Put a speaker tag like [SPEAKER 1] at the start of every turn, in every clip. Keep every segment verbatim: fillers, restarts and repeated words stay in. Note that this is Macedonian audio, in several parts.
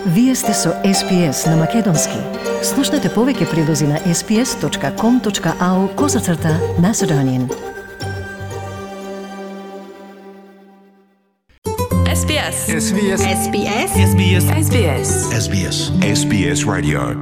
[SPEAKER 1] Вие сте со Ес Би Ес на Македонски. Слушнете повеќе прилози на ес би ес точка ком точка ау козацрта Macedonian.
[SPEAKER 2] Ес Би Ес.
[SPEAKER 3] Ес Би Ес.
[SPEAKER 2] Ес Би Ес. Ес Би Ес. Ес Би Ес.
[SPEAKER 3] Ес Би Ес.
[SPEAKER 4] Ес Би Ес Radio.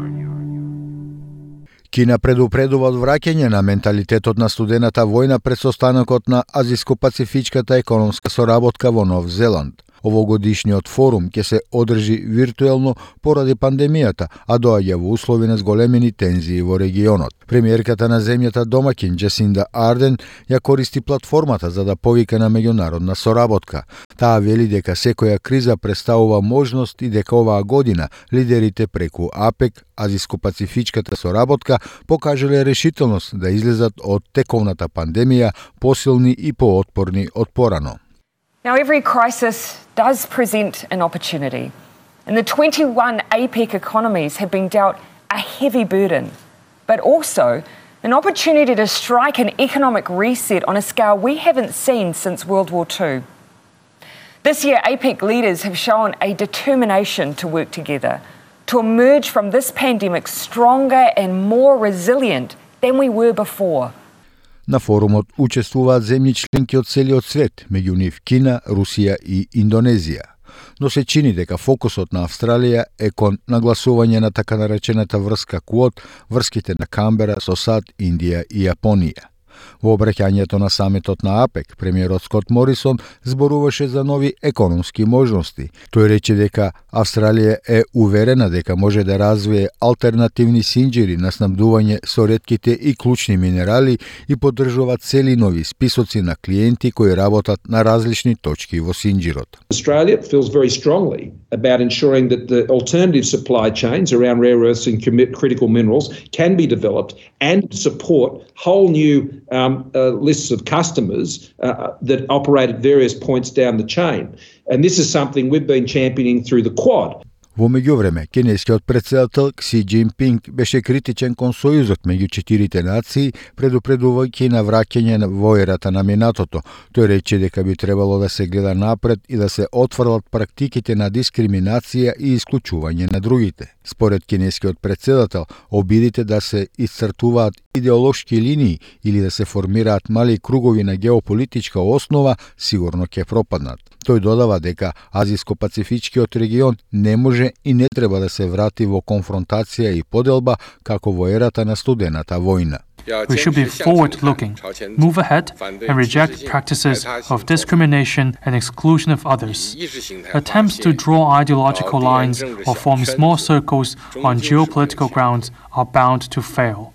[SPEAKER 5] Кина предупредува од враќање на менталитетот на студената војна пред состанокот на Азиско-пацифичката економска соработка во Нов Зеланд. Овогодишниот форум ќе се одржи виртуелно поради пандемијата, а доаѓа во услови на зголемени тензии во регионот. Премиерката на земјата домаќин Джасинда Арден ја користи платформата за да повика на меѓународна соработка. Таа вели дека секоја криза представува можност и дека оваа година лидерите преку АПЕК, Азиско-пацифичката соработка, покажале решителност да излезат од тековната пандемија посилни и поотпорни од порано.
[SPEAKER 6] Now, every crisis does present an opportunity, and the twenty-one APEC economies have been dealt a heavy burden, but also an opportunity to strike an economic reset on a scale we haven't seen since World War Two. This year, APEC leaders have shown a determination to work together, to emerge from this pandemic stronger and more resilient than we were before.
[SPEAKER 5] На форумот учествуваат земји членки од целиот свет, меѓу нив Кина, Русија и Индонезија. Но се чини дека фокусот на Австралија е кон нагласување на така наречената врска Квот, врските на Камбера со САД, Индија и Јапонија. Во обраќањето на самитот на АПЕК, премиерот Скот Морисон зборуваше за нови економски можности. Тој рече дека Австралија е уверена дека може да развие алтернативни синџири на снабдување со ретките и клучни минерали и поддржува цели нови списоци на клиенти кои работат на различни точки во синџирот.
[SPEAKER 7] Australia feels very strongly about ensuring that the alternative supply chains around rare earths and critical minerals can be developed and support whole new um, uh, lists of customers uh, that operate at various points down the chain. And this is something we've been championing through the Quad.
[SPEAKER 5] Во меѓувреме, кинескиот претседател Кси Џинпинг беше критичен кон сојузот меѓу четирите нации, предупредувајќи на враќање во ерата на минатото. Тој рече дека би требало да се гледа напред и да се отфрлат практиките на дискриминација и исклучување на другите. Според кинескиот претседател, обидите да се исцртуваат идеолошки линии или да се формираат мали кругови на геополитичка основа, сигурно ќе пропаднат. Тој додава дека Азиско-пацифичкиот регион не може и не треба да се врати во конфронтација и поделба како во ерата на студената војна.
[SPEAKER 8] We should be forward-looking, move ahead, and reject practices of discrimination and exclusion of others. Attempts to draw ideological lines or form small circles on geopolitical grounds are bound to fail.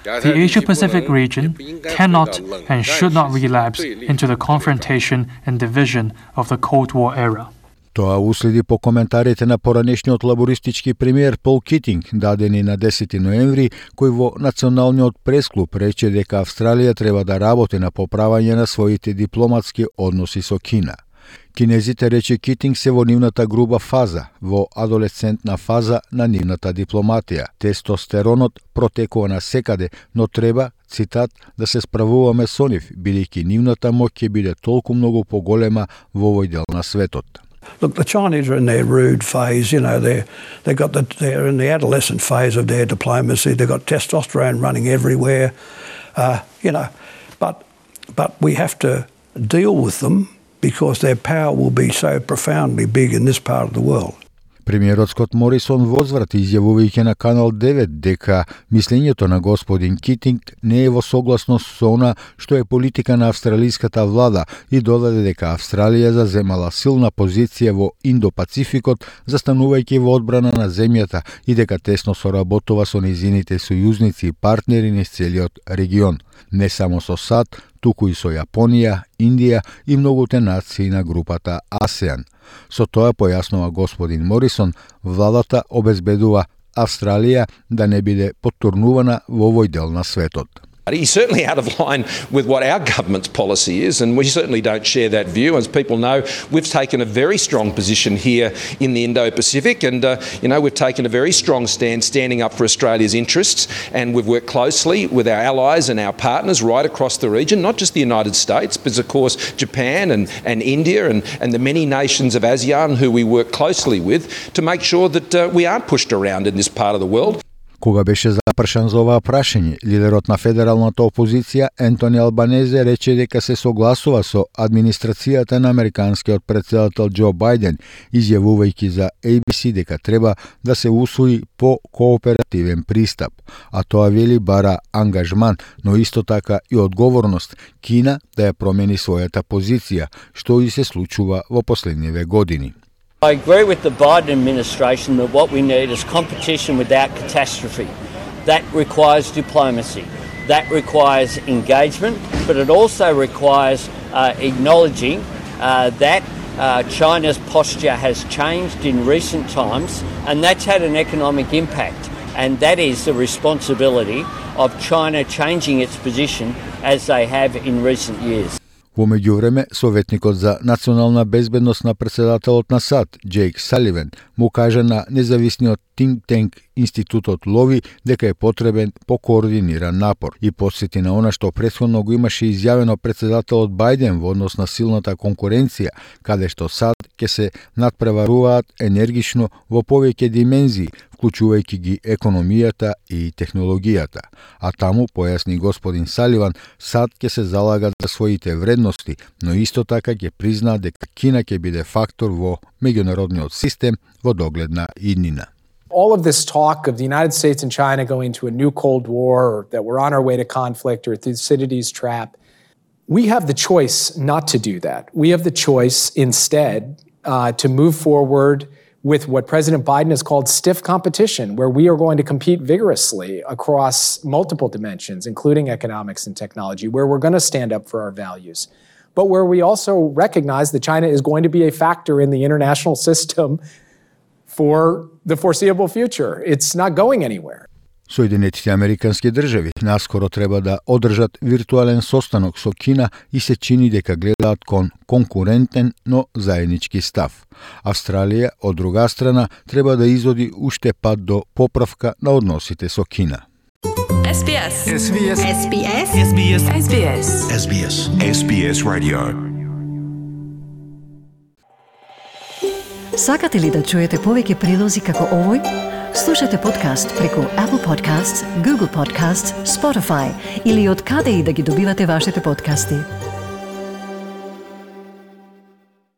[SPEAKER 8] The Asia-Pacific region cannot and should not relapse into the confrontation and division of the Cold War era.
[SPEAKER 5] Тоа уследи по коментарите на поранешниот лабористички премиер Пол Китинг, дадени на десети ноември, кој во Националниот пресклуб рече дека Австралија треба да работи на поправање на своите дипломатски односи со Кина. Кинезите, рече Китинг, се во нивната груба фаза, во адолесцентна фаза на нивната дипломатија. Тестостеронот протекува на секаде, но треба, цитат, да се справуваме со нив, бидејќи нивната моќ ќе биде толку многу поголема во овој дел на светот.
[SPEAKER 9] Look, the Chinese are in their rude phase, you know, they're, they got the, they're in the adolescent phase of their diplomacy, they've got testosterone running everywhere, uh, you know, but, but we have to deal with them because their power will be so profoundly big in this part of the world.
[SPEAKER 5] Премиерот Скот Морисон возврати изјавувајќи на Канал девет дека мислењето на господин Китинг не е во согласност со она што е политика на австралиската влада и додаде дека Австралија заземала силна позиција во Индо-Пацификот, застанувајќи во одбрана на земјата и дека тесно соработува со низините сојузници и партнери низ целиот регион, не само со САД, туку и со Јапонија, Индија и многуте нации на групата АСЕАН. Со тоа, појаснува господин Морисон, владата обезбедува Австралија да не биде поттурнувана во овој дел на светот.
[SPEAKER 3] He's certainly out of line with what our government's policy is, and we certainly don't share that view. As people know, we've taken a very strong position here in the Indo-Pacific, and uh, you know, we've taken a very strong stand standing up for Australia's interests, and we've worked closely with our allies and our partners right across the region, not just the United States, but of course Japan and, and India and, and the many nations of ASEAN who we work closely with to make sure that uh, we aren't pushed around in this part of the world.
[SPEAKER 5] Кога беше запршан за оваа прашање, лидерот на федералната опозиција Ентони Албанезе рече дека се согласува со администрацијата на американскиот претседател Џо Бајден, изјавувајќи за А Б С дека треба да се усвои по кооперативен пристап, а тоа вели бара ангажман, но исто така и одговорност Кина да ја промени својата позиција, што и се случува во последниве години.
[SPEAKER 4] I agree with the Biden administration that what we need is competition without catastrophe. That requires diplomacy. That requires engagement, but it also requires uh, acknowledging uh, that uh, China's posture has changed in recent times, and that's had an economic impact. And that is the responsibility of China changing its position as they have in recent years.
[SPEAKER 5] Во меѓувреме, советникот за национална безбедност на претседателот на САД, Джейк Саливан, му кажа на независниот think tank Институтот Лови дека е потребен покоординиран напор и потсети на она што претходно го имаше изјавено претседателот Бајден во однос на силната конкуренција, каде што САД ќе се надпреваруваат енергично во повеќе димензии, вклучувајќи ги економијата и технологијата. А таму, појасни господин Саливан, САД ќе се залага за своите вредности, но исто така ќе призна дека Кина ќе биде фактор во меѓународниот систем во догледна иднина.
[SPEAKER 10] All of this talk of the United States and China going into a new Cold War, or that we're on our way to conflict or Thucydides' trap, we have the choice not to do that. We have the choice instead uh, to move forward with what President Biden has called stiff competition, where we are going to compete vigorously across multiple dimensions, including economics and technology, where we're going to stand up for our values, but where we also recognize that China is going to be a factor in the international system for the foreseeable future. It's not going anywhere.
[SPEAKER 5] Соединетите Американски држави наскоро треба да одржат виртуелен состанок со Кина и се чини дека гледаат кон конкурентен, но заеднички став. Австралија, од друга страна, треба да изводи уште пат до поправка на односите со Кина.
[SPEAKER 2] S B S.
[SPEAKER 11] S B S.
[SPEAKER 2] S B S. S B S. S B S.
[SPEAKER 11] S B S. S B S Radio.
[SPEAKER 1] Сакате ли да чуете повеќе прилози како овој? Слушате подкаст преку Apple Podcasts, Google Podcasts, Spotify или од каде и да ги добивате вашите подкасти.